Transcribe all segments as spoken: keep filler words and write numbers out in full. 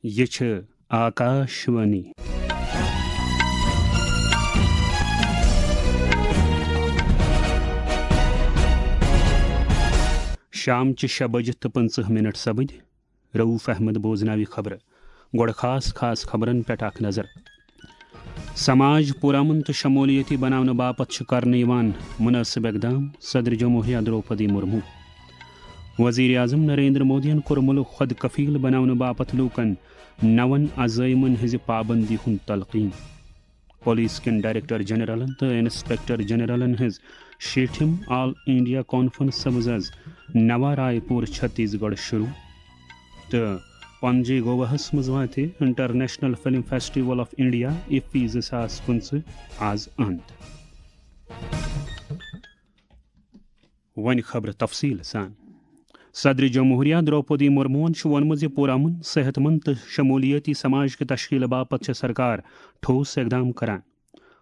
یہِ چھِ آکاشوانی۔ شام چہِ شےٚ بجہِ تہٕ پٕنٛژٕہ مِنٹ سپٕدۍ۔ رؤف احمد بوزناوِ خبرٕ۔ گۄڈٕ خاص خاص خبرن پٮ۪ٹھ اکھ نظر۔ سماج پُرامن تہٕ شمولیتی بناونہٕ باپتھ چھِ کرنہٕ یِوان مُنٲسِب اقدام، صدر جمہوریہ درٛوپدی مُرموٗ۔ وزیر اعظم نریندر مودیَن کوٚر مُلک خۄد کفیل بناونہٕ باپتھ لوٗکَن نَوَن عزٲیمَن ہٕنٛزِ پابندی ہُنٛد تلقین۔ پولیس کٮ۪ن ڈائریکٹر جنرلن تہٕ انسپیکٹر جنرلن ہٕنٛز شیٹھِم آل انڈیا کانفرنس سپٕز آز نوا رائے پور، چھتیس گڑھ شروع۔ تہٕ پنجی گواہس منٛز واتہِ international film festival of India, IFFI زٕ ساس پٕنٛژٕہ، آز اند۔ وۄنۍ خبرٕ تفصیٖل سان۔ صدر جمہوریہ درٛوپدی مُرموٗہن چھُ ووٚنمُت زِ پُرامن، صحت مند تہٕ شمولیٲتی سماج کہِ تشکیٖل باپتھ چھےٚ سرکار ٹھوس اقدام کران۔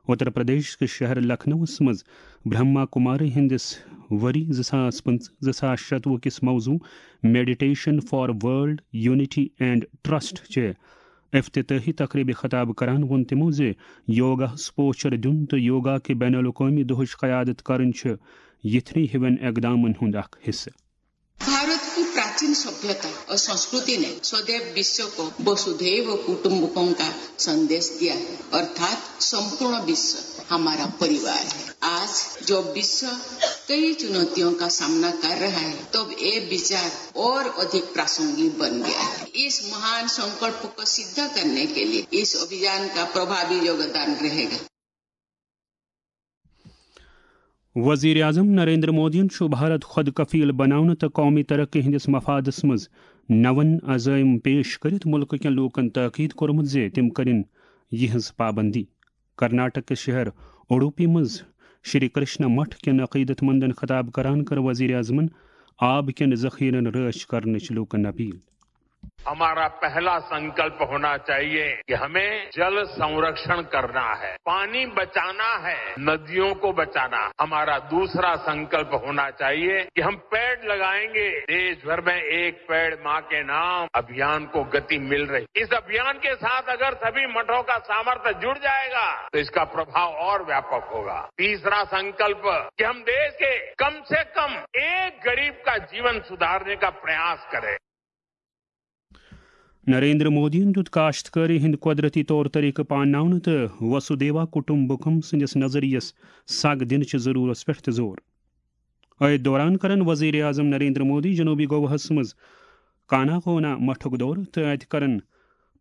اتر پردیش کِس شہر لکھنؤَس منٛز برہما کماری ہٕنٛدِس ؤری زٕ ساس پٕنٛژٕہ زٕ ساس شتوُہ کِس موضوع Meditation for World Unity and Trust چہِ افتتاحی تقریبہِ خطاب کران ووٚن تِمو زِ یوگاہس پوچھر دیُن تہٕ یوگا کہِ بین الاقوٲمی دۄہٕچ قیادت کرٕنۍ چھِ یِتھنٕے ہِوٮ۪ن اقدامن ہُنٛد اکھ حصہٕ۔ भारत की प्राचीन सभ्यता और संस्कृति ने सदैव विश्व को वसुधैव कुटुंबकम का संदेश दिया है, अर्थात संपूर्ण विश्व हमारा परिवार है। आज जो विश्व कई चुनौतियों का सामना कर रहा है, तब ये विचार और अधिक प्रासंगिक बन गया है। इस महान संकल्प को सिद्ध करने के लिए इस अभियान का प्रभावी योगदान रहेगा। وزیر اعظم نریندر مودیَن چھُ بھارت خود کفیل بناونہٕ تہٕ قومی ترقی ہٕنٛدِس مفادس منٛز نَوَن عزائم پیش کٔرِتھ مُلکہٕ کٮ۪ن لوٗکَن تاکید کوٚرمُت زِ تِم کٔرِن یِہٕنٛز پابندی۔ کرناٹک کِس شہر اڈوپی منٛز شری کرشنا مٹھ کٮ۪ن عقیدت مندن خطاب کران کٔر وزیر اعظمن آب کٮ۪ن ذخیرن رٲچھ کرنٕچ لوٗکَن اپیل۔ हमारा पहला संकल्प होना चाहिए कि हमें जल संरक्षण करना है, पानी बचाना है, नदियों को बचाना है। हमारा दूसरा संकल्प होना चाहिए कि हम पेड़ लगाएंगे। देश भर में एक पेड़ माँ के नाम अभियान को गति मिल रही। इस अभियान के साथ अगर सभी मठों का सामर्थ्य जुड़ जाएगा तो इसका प्रभाव और व्यापक होगा। तीसरा संकल्प कि हम देश के कम से कम एक गरीब का जीवन सुधारने का प्रयास करें। نریندر مودیَن دیُت کاشتکٲری ہٕنٛدۍ قۄدرتی طور طریقہٕ پانناونہٕ تہٕ وسودھیوا کٹمبکم سٕنٛدِس نظریَس سگ دِنہٕ چہِ ضروٗرتس پٮ۪ٹھ تہِ زور۔ أتھۍ دوران کرن وزیر اعظم نریندر مودی جنوبی گواہَس منٛز کاناکونا مٹھُک دورٕ تہٕ اَتہِ کرن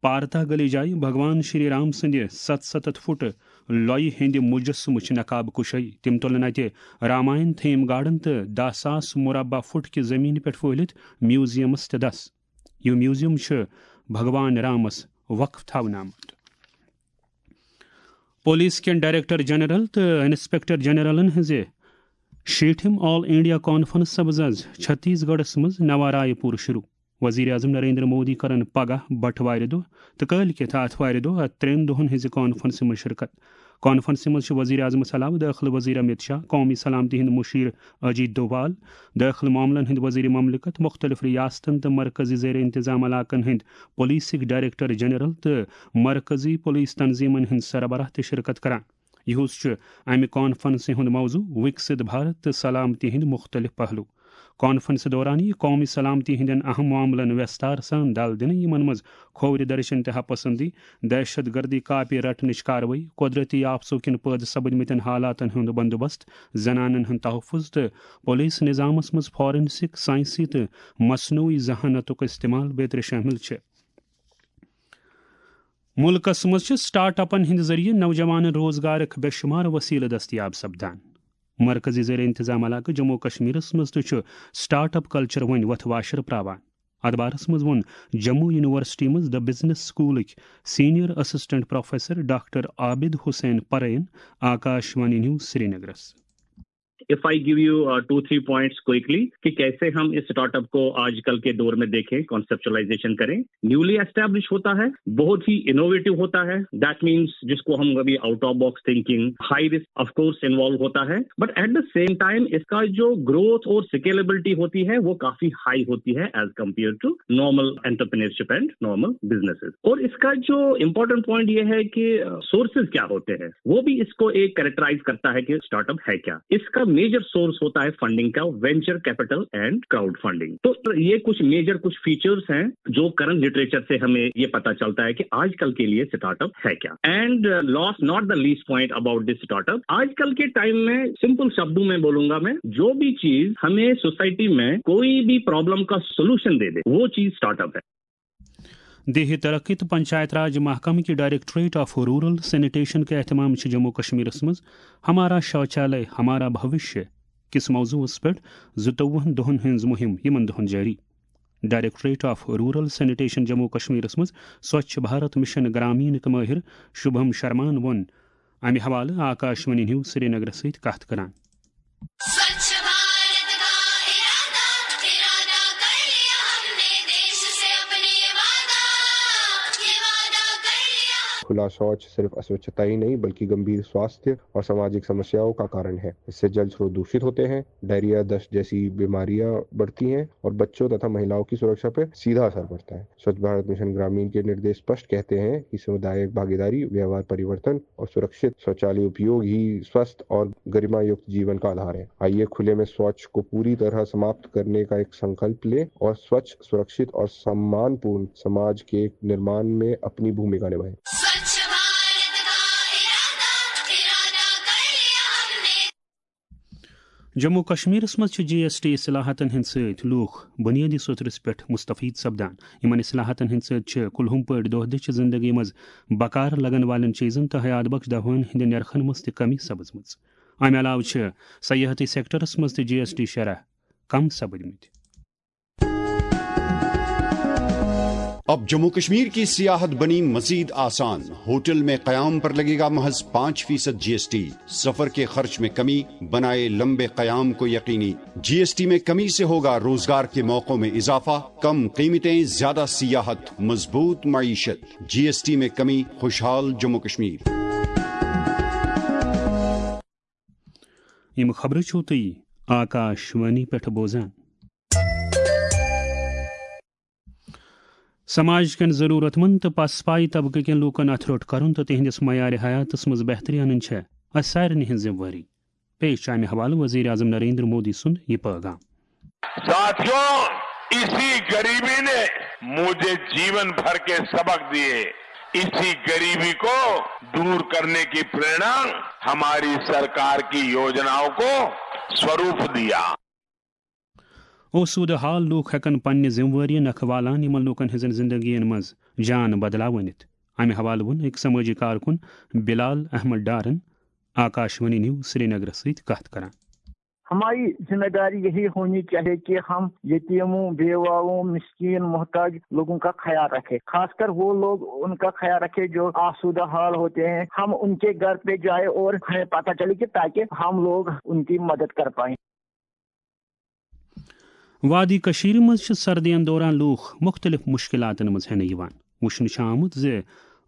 پارتا گلی جایہِ بھگوان شری رام سٕنٛدِ ستستتھ فُٹ لۄیہِ ہٕنٛدِ مجسمٕچ نقاب کشٲیی۔ تِم تُلن اَتہِ راماین تھیم گارڈن تہٕ دَہ ساس مربع فُٹ کہِ زمینہِ پٮ۪ٹھ پھٔہلِتھ میوزیمس تہِ دَس۔ یہِ میوزیم چھُ بھگوان رامس وقف تھاونہٕ آمُت۔ پولیس کٮ۪ن ڈائریکٹر جنرل تہٕ انسپیکٹر جنرلن ہٕنٛزِ شیٹھِم آل انڈیا کانفرنس سپٕز آز چھتیس گڑھس منٛز نوا رائے پور شروع۔ وزیر اعظم نریندر مودی کرن پگاہ بٹوارِ دۄہ تہٕ کٲلۍ کٮ۪تھ آتھوارِ دۄہ اتھ ترٛٮ۪ن دۄہن ہٕنٛزِ کانفرنسہِ منٛز شرکت۔ کانفرنسہِ منٛز چھِ وزیر اعظمس علاوٕ دٲخلہٕ وزیر امت شاہ، قومی سلامتی ہٕنٛدۍ مُشیر اجیت دووال، دٲخلہٕ معاملن ہٕنٛدۍ وزیر مملکت، مُختٔلِف ریاستن تہٕ مرکزی زیر انتظام علاقن ہٕنٛدۍ پولیسٕکۍ ڈائریکٹر جنرل تہٕ مرکزی پولیس تنظیمن ہٕنٛدۍ سربراہ تہِ شرکت کران۔ یِہُس چھُ امہِ کانفرنسہِ ہُنٛد موضوع وِکسِت بھارت تہٕ سلامتی ہٕنٛدۍ مُختٔلِف پہلو۔ کانفرنسہِ دوران یِیہِ قومی سلامتی ہٕنٛدٮ۪ن اہم معاملن وٮ۪ستار سان دَل دِنہٕ، یِمن منٛز کھوورِ دٔرشن تہٕ ہپسندی، دہشت گردی کاپی رٹنٕچ کاروٲیی، قۄدرتی آفژو کِنۍ پٲدٕ سپٕدمٕتٮ۪ن حالاتن ہُنٛد بندوبست، زنانن ہُنٛد تحفظ تہٕ پولیس نظامس منٛز فارنسک، سائنسی تہٕ مصنوعی ذہانتُک استعمال بیترِ شٲمِل چھِ۔ مُلکس منٛز چھِ سٹارٹ اپن ہٕنٛدِ ذٔریعہٕ نوجوانن روزگارٕک بے شُمار وسیلہٕ دٔستیاب سپدان۔ مرکزی زیر انتظام علاقہٕ جموں و کشمیرس منٛز تہِ چھُ سٹارٹ اپ کلچر وۄنۍ وۄتھٕ واشر پراوان۔ اتھ بارس منٛز ووٚن جموں یونیورسٹی منٛز The Business School ٕکۍ senior assistant professor doctor Abid Hussain پرین آکاش وانی نیوز سرینگرس۔ If I give you two three points quickly कि कैसे हम इस स्टार्टअप को आजकल के दौर में देखें, कॉन्सेप्चुअलाइजेशन करें, न्यूली एस्टैब्लिश होता है, बहुत ही इनोवेटिव होता है। दैट मीन्स जिसको हम कभी out of box thinking, high risk of course involve होता है, but at the same time इसका जो ग्रोथ और स्केलेबिलिटी होती है वो काफी हाई होती है age compare to normal entrepreneurship and normal businesses. और इसका जो इंपॉर्टेंट पॉइंट ये है कि सोर्सेज क्या होते हैं, वो भी इसको एक कैरेक्टराइज करता है कि स्टार्टअप है क्या। इसका मेजर सोर्स होता है फंडिंग का, venture capital and crowd funding. तो ये कुछ मेजर, कुछ फीचर्स हैं जो करंट लिटरेचर से हमें ये पता चलता है कि आजकल के लिए स्टार्टअप है क्या। And last not the least point about this startup, आजकल के टाइम में सिंपल शब्दों में बोलूंगा मैं, जो भी चीज हमें सोसाइटी में कोई भी प्रॉब्लम का सोल्यूशन दे दे, वो चीज स्टार्टअप है। دیہی ترقی تہٕ پنچایت راج محکمہٕ کہِ ڈائریکٹوریٹ آف رورل سینیٹیشن کہِ اہتمام چھِ جموں کشمیرس منٛز ہمارا شوچالیہ ہمارا بھوشیہ کِس موضوعس پٮ۪ٹھ زٕتووُہن دۄہن ہٕنٛز مُہِم یِمن دۄہن جٲری۔ Directorate of rural sanitation Jammu کشمیرس منٛز سوچھ بھارت مشن گرامین کہِ مٲہر شبھم شرمان ووٚن امہِ حوالہٕ آکاشوانی نیوز سرینگرس سۭتۍ کتھ کران۔ स्वच्छ भारत का इरादा, इरादा कर लिया हमने, देश से अपने ये वादा, ये वादा कर लिया। खुला शौच सिर्फ अस्वच्छता ही नहीं बल्कि गंभीर स्वास्थ्य और सामाजिक समस्याओं का कारण है। इससे जल स्रोत दूषित होते हैं, डायरिया, दस्त जैसी बीमारियां बढ़ती हैं और बच्चों तथा महिलाओं की सुरक्षा पर सीधा असर पड़ता है। स्वच्छ भारत मिशन ग्रामीण के निर्देश स्पष्ट कहते हैं कि सामुदायिक भागीदारी, व्यवहार परिवर्तन और सुरक्षित शौचालय उपयोग ही स्वस्थ और गरिमायुक्त जीवन का आधार है। आइए खुले में शौच को पूरी तरह समाप्त करने का एक संकल्प लें और स्वच्छ, सुरक्षित और सम्मानपूर्ण समाज के निर्माण में अपनी भूमिका निभाएं। स्वच्छ भारत का इरादा, इरादा कर लिया हमने। جموں کشمیرس منٛز چھِ جی ایس ٹی اصلاحاتن ہٕنٛدۍ سۭتۍ لوٗکھ بُنیٲدی سوٚتھرس پٮ۪ٹھ مستفید سپدان۔ یِمن اصلاحاتن ہٕنٛدۍ سۭتۍ چھِ کُلہُم پٲٹھۍ دۄہ دِش زندگی منٛز بکار لگن والٮ۪ن چیٖزن تہٕ حیات بخش دوہن ہٕنٛدِ نرخن منٛز تہِ کمی سپٕزمٕژ۔ امہِ علاوٕ چھِ سیاحتی سیکٹرس منٛز تہِ جی ایس ٹی شرح کم سپٕدمٕتۍ۔ اب جموں کشمیر کی سیاحت بنی مزید آسان، ہوٹل میں قیام پر لگے گا محض پانچ فیصد جی ایس ٹی، سفر کے خرچ میں کمی، بنائے لمبے قیام کو یقینی۔ جی ایس ٹی میں کمی سے ہوگا روزگار کے موقعوں میں اضافہ، کم قیمتیں، زیادہ سیاحت، مضبوط معیشت۔ جی ایس ٹی میں کمی، خوشحال جموں کشمیر۔ یِم خبرٕ چھِو تُہۍ آکاشوانی پٮ۪ٹھ بوزان۔ سماج کٮ۪ن ضروٗرت مند تہٕ پسپائی طبقہٕ کٮ۪ن لوٗکن اتھٕ روٚٹ کرُن تہٕ تِہنٛدِس معیار حیاتس منٛز بہتری انٕنۍ چھےٚ اسہِ سارنٕے ہٕنٛز ذمہٕ وٲری۔ پیش چھُ امہِ حوالہٕ وزیر اعظم نریندر مودی سُنٛد یہِ پٲغام۔ साथियों, इसी गरीबी ने मुझे जीवन भर के सबक दिए। इसी गरीबी को दूर करने की प्रेरणा हमारी सरकार की योजनाओं को स्वरूप दिया। آسودٕ حال لوٗکھ ہٮ۪کن پننہِ ذمہٕ وٲری نکھٕ والان یِمن لوٗکن ہٕنٛزن زندگین منٛز جان بدلاو أنِتھ۔ امہِ حوالہٕ ووٚن أکۍ سمٲجی کارکُن بلال احمد ڈارن آکاشوانی نیوز سرینگرس سۭتۍ کتھ کران۔ ہماری ذمہ داری یہی ہونی چاہیے کہ ہم یتیموں، بیواؤں، مسکین، محتاج لوگوں کا خیال رکھیں، خاص کر وہ لوگ ان کا خیال رکھیں جو آسودہ حال ہوتے ہیں۔ ہم ان کے گھر پہ جائیں اور ہمیں پتہ چلے کہ تاکہ ہم لوگ ان کی مدد کر پائیں۔ وادی کٔشیٖرِ منٛز چھِ سردین دوران لوٗکھ مُختٔلِف مُشکِلاتن منٛز ہٮ۪نہٕ یِوان۔ وُچھنہٕ چھُ آمُت زِ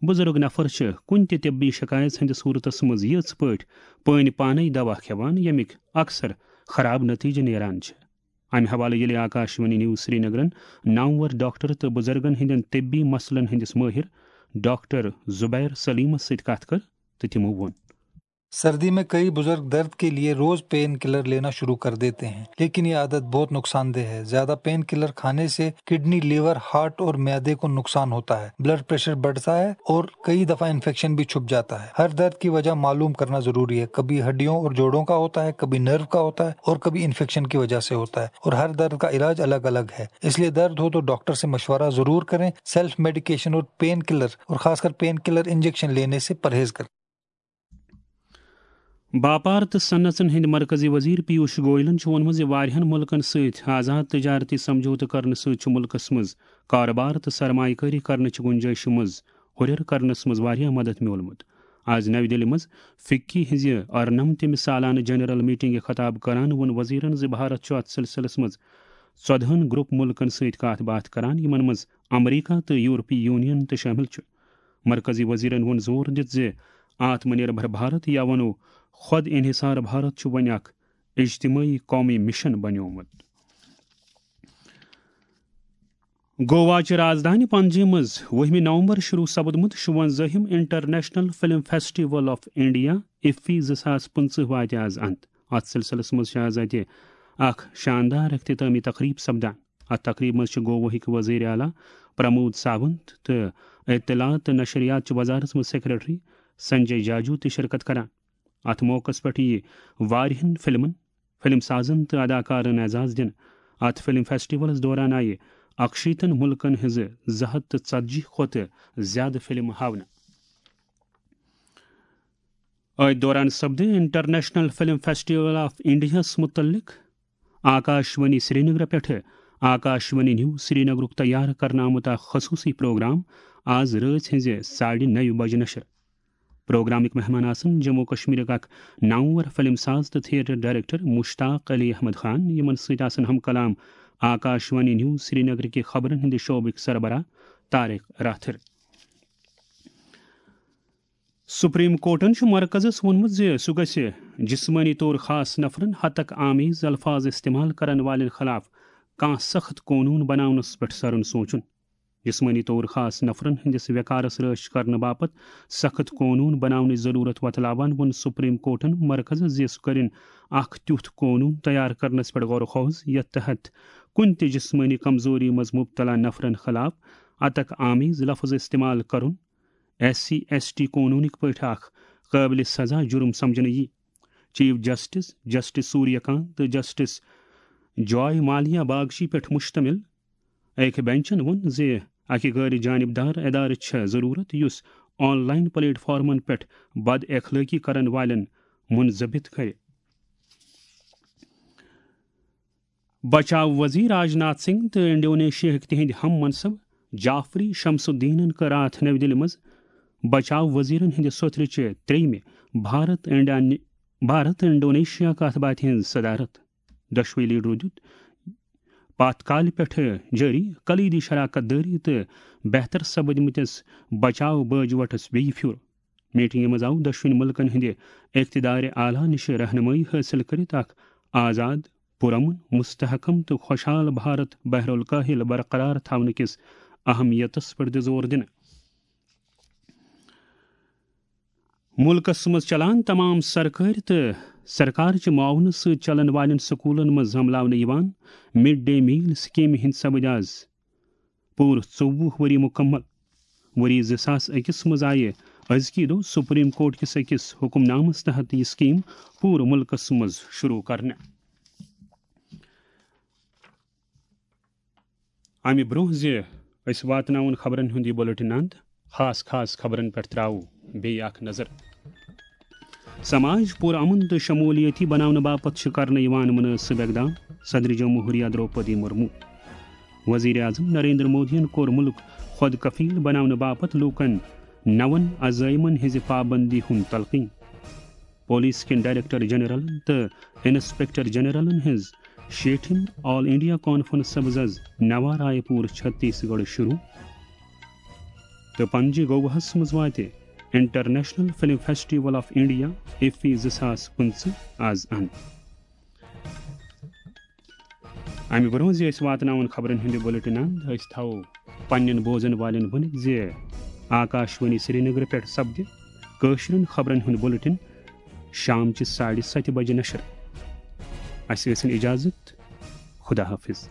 بُزرگ نفر چھِ کُنہِ تہِ طبی شکایت ہٕنٛدِس صوٗرتس منٛز یِژھ پٲٹھۍ پٲنۍ پانے دوا کھٮ۪وان، ییٚمِکۍ اکثر خراب نتیجہٕ نیران چھِ۔ امہِ حوالہٕ ییٚلہِ آکاشوانی نیوز سرینگرن نامور ڈاکٹر تہٕ بُزرگن ہٕنٛدٮ۪ن طبی مسلن ہٕنٛدِس مٲہِر ڈاکٹر زبیر سلیمس سۭتۍ کتھ کٔر تہٕ تِمو ووٚن۔ سردی میں کئی بزرگ درد کے لیے روز پین کلر لینا شروع کر دیتے ہیں، لیکن یہ عادت بہت نقصان دہ ہے۔ زیادہ پین کلر کھانے سے کڈنی، لیور، ہارٹ اور معدے کو نقصان ہوتا ہے، بلڈ پریشر بڑھتا ہے اور کئی دفعہ انفیکشن بھی چھپ جاتا ہے۔ ہر درد کی وجہ معلوم کرنا ضروری ہے۔ کبھی ہڈیوں اور جوڑوں کا ہوتا ہے، کبھی نرو کا ہوتا ہے اور کبھی انفیکشن کی وجہ سے ہوتا ہے، اور ہر درد کا علاج الگ الگ ہے۔ اس لیے درد ہو تو ڈاکٹر سے مشورہ ضرور کریں۔ سیلف میڈیکیشن اور پین کلر، اور خاص کر پین کلر انجیکشن لینے سے پرہیز کریں۔ باپار تہٕ صنعژن ہٕنٛدۍ مرکزی وزیر پیوش گویلن چھُ ووٚنمُت زِ واریاہن مُلکن سۭتۍ آزاد تجارتی سمجھوتہٕ کرنہٕ سۭتۍ چھُ مُلکس منٛز کارٕبار تہٕ سرمایہِ کٲری کرنٕچ گُنجٲیشہِ منٛز ہُرٮ۪ر کرنس منٛز واریاہ مدد میوٗلمُت۔ آز نَوِ دِلہِ منٛز فکی ہٕنٛزِ ارنمتمہِ سالانہٕ جنرل میٹنگہِ خطاب کران ووٚن وزیرن زِ بھارت چھُ اتھ سلسلس منٛز ژۄدہن گروپ مُلکن سۭتۍ کتھ باتھ کران، یِمن منٛز امریکہ تہٕ یورپی یونین تہِ شٲمِل چھُ۔ مرکزی وزیرن ووٚن زور دِتھ زِ آتم نربھر بھارت، یا ونو خود انحصار بھارت، چھُ وۄنۍ اکھ اجتماعی قومی مشن بنیومُت۔ گوا چہِ رازدانہِ پنجی منٛز وُہمہِ نومبر شروع سپدمُت شُونزٲہِم international film festival of India, IFFI زٕ ساس پٕنٛژٕہ، واتہِ آز انت۔ اتھ سلسلس منٛز چھِ آز اتہِ اکھ شاندار اختتامی تقریب سپدان۔ اتھ تقریبہِ منٛز چھِ گواہٕکۍ وزیر اعلیٰ پرمود ساونت تہٕ اطلاعات تہٕ نشریات چہِ وزارتس منٛز سیکرٹری سنجے جاجو تہِ شرکت کران۔ اتھ موقعس پٮ۪ٹھ یِیہِ واریاہن فلمن، فلم سازن تہٕ اداکارن اعزاز دِنہٕ۔ اتھ فلم فیسٹیولس دوران آیہِ اکشیتن مُلکن ہٕنٛزٕ زٕ ہتھ تہٕ ژتجی کھۄتہٕ زیادٕ فلمہٕ ہاونہٕ۔ أتھۍ دوران سپدِ انٹرنیشنل فلم فیسٹیول آف انڈیاہس مُتعلق آکاشوانی سرینگر پٮ۪ٹھٕ آکاشوانی نیوز سرینگرُک تیار کرنہٕ آمُت اکھ خصوٗصی پروگرام آز رٲژ ہٕنٛزِ ساڑِ نَیہِ بجہِ نشر۔ پروگرامٕکۍ مہمان آسن جموں کشمیرٕکۍ اکھ نامور فلم ساز تہٕ تھیٹر ڈائریکٹر مشتاق علی احمد خان، یِمن سۭتۍ آسن ہم کلام آکاشوانی نیوز سرینگرٕکۍ خبرن ہٕنٛدِ شعبٕکۍ سربراہ طارق راتھر۔ سپریم کورٹن چھُ مرکزس ووٚنمُت زِ سُہ گژھِ جسمٲنی طور خاص نفرن ہتک آمیز الفاظ استعمال کرن والٮ۪ن خلاف کانٛہہ سخت قونوٗن بناونس پٮ۪ٹھ سرُن سونچُن۔ جسمٲنی طور خاص نفرن ہٕنٛدِس وقارس رٲچھ کرنہٕ باپتھ سخت قونوٗن بناونٕچ ضروٗرت وۄتلاوان ووٚن سپریم کورٹن مرکزس زِ سُہ کٔرِن اکھ تیُتھ قونوٗن تیار کرنس پٮ۪ٹھ غور و خوض، یتھ تحت کُنہِ تہِ جسمٲنی کمزوری منٛز مبتلا نفرن خلاف ہتک آمیز لفظ استعمال کرُن ایس سی ایس ٹی قونوٗنٕکۍ پٲٹھۍ اکھ قٲبلِ سزا جُرم سمجھنہٕ یی۔ چیف جسٹس، جسٹس سوریہ کانت تہٕ جسٹس جوائے مالیا باگچی پٮ۪ٹھ مشتمل أکۍ بینچن ووٚن زِ اکہِ غٲر جانبدار ادارٕچ چھےٚ ضروٗرت یُس آن لائن پلیٹ فارمن پٮ۪ٹھ بد اخلٲقی کرن والٮ۪ن منضبط کرِ۔ بچاو وزیر راجناتھ سنگھ تہٕ انڈونیشیاہٕکۍ تِہنٛدۍ ہم منصب جعفری شمس الدینن کٔر راتھ نَوِ دِلہِ منٛز بچاو وزیرن ہٕنٛدِ سوٚتھرِ چہِ ترٛیٚیمہِ بھارت انڈیا-، بھارت انڈونیشیا کتھ باتھِ ہٕنٛز صدارت۔ دۄشوٕے لیڈرو دیُت پتھ کالہِ پٮ۪ٹھٕ جٲری کلیدی شراکت دٲری تہٕ بہتر سپدمٕتِس بچاو بٲجوٹس بیٚیہِ پھیُر۔ میٹنگہِ منٛز آو دۄشوٕنۍ مُلکن ہٕنٛدِ اقتدار اعلیٰ نِش رہنمٲیی حٲصِل کٔرِتھ اکھ آزاد، پُرامن، مستحکم تہٕ خۄشحال بھارت بحر الکاہل برقرار تھاونہٕ کِس اہمیتس پٮ۪ٹھ تہِ زور دِنہٕ۔ مُلکس منٛز چلان تمام سرکٲرۍ تہٕ سرکار چہِ معاونہٕ سۭتۍ چلن والٮ۪ن سکوٗلن منٛز عملاونہٕ یِوان مڈ ڈے میل سکیمہِ ہٕنٛدۍ سپٕدۍ آز پوٗرٕ ژوٚوُہ ؤری مُکمل۔ ؤری زٕ ساس أکِس منٛز آیہِ أزکی دۄہ سپریم کورٹ کِس أکِس حکم نامس تحت یہِ سکیٖم پوٗرٕ مُلکس منٛز شروع کرنہٕ۔ امہِ برٛونٛہہ زِ أسۍ واتناوون خبرن ہُنٛد یہِ بُلٹن اند، خاص خاص خبرن پٮ۪ٹھ تراوو بیٚیہِ اکھ نظر۔ سماج پُرامن تہٕ شمولیتی بناونہٕ باپتھ چھِ کرنہٕ یِوان مُنٲسِب اقدام، صدر جمہوریہ درٛوپدی مُرموٗ۔ وزیر اعظم نریندر مودیَن کوٚر مُلک خۄد کفیل بناونہٕ باپتھ لوٗکَن نَوَن عزٲیمَن ہٕنٛزِ پابندی ہُنٛد تلقین۔ پولیس کٮ۪ن ڈائریکٹر جنرلَن تہٕ انسپکٹر جنرلَن ہٕنٛز شیٹھِم آل انڈیا کانفرنس سپٕز آز نوا رائے پور چھتیس گڑھ شروع۔ تہٕ پنجہِ گواہَس منٛز واتہِ international film festival of India, IFFI زٕ ساس پٕنٛژٕہ، آز اند۔ امہِ برٛونٛہہ زِ أسۍ واتناوون خبرن ہُنٛد یہِ بُلٹن اند، أسۍ تھاوو پننٮ۪ن بوزن والٮ۪ن ؤنِتھ زِ آکاشوانی سرینگر پٮ۪ٹھ سپدِ کٲشرٮ۪ن خبرن ہُنٛد بُلٹن شام چہِ ساڑِ ستہِ بجہِ نشر۔ اسہِ ٲسِن اجازت۔ خدا حافظ۔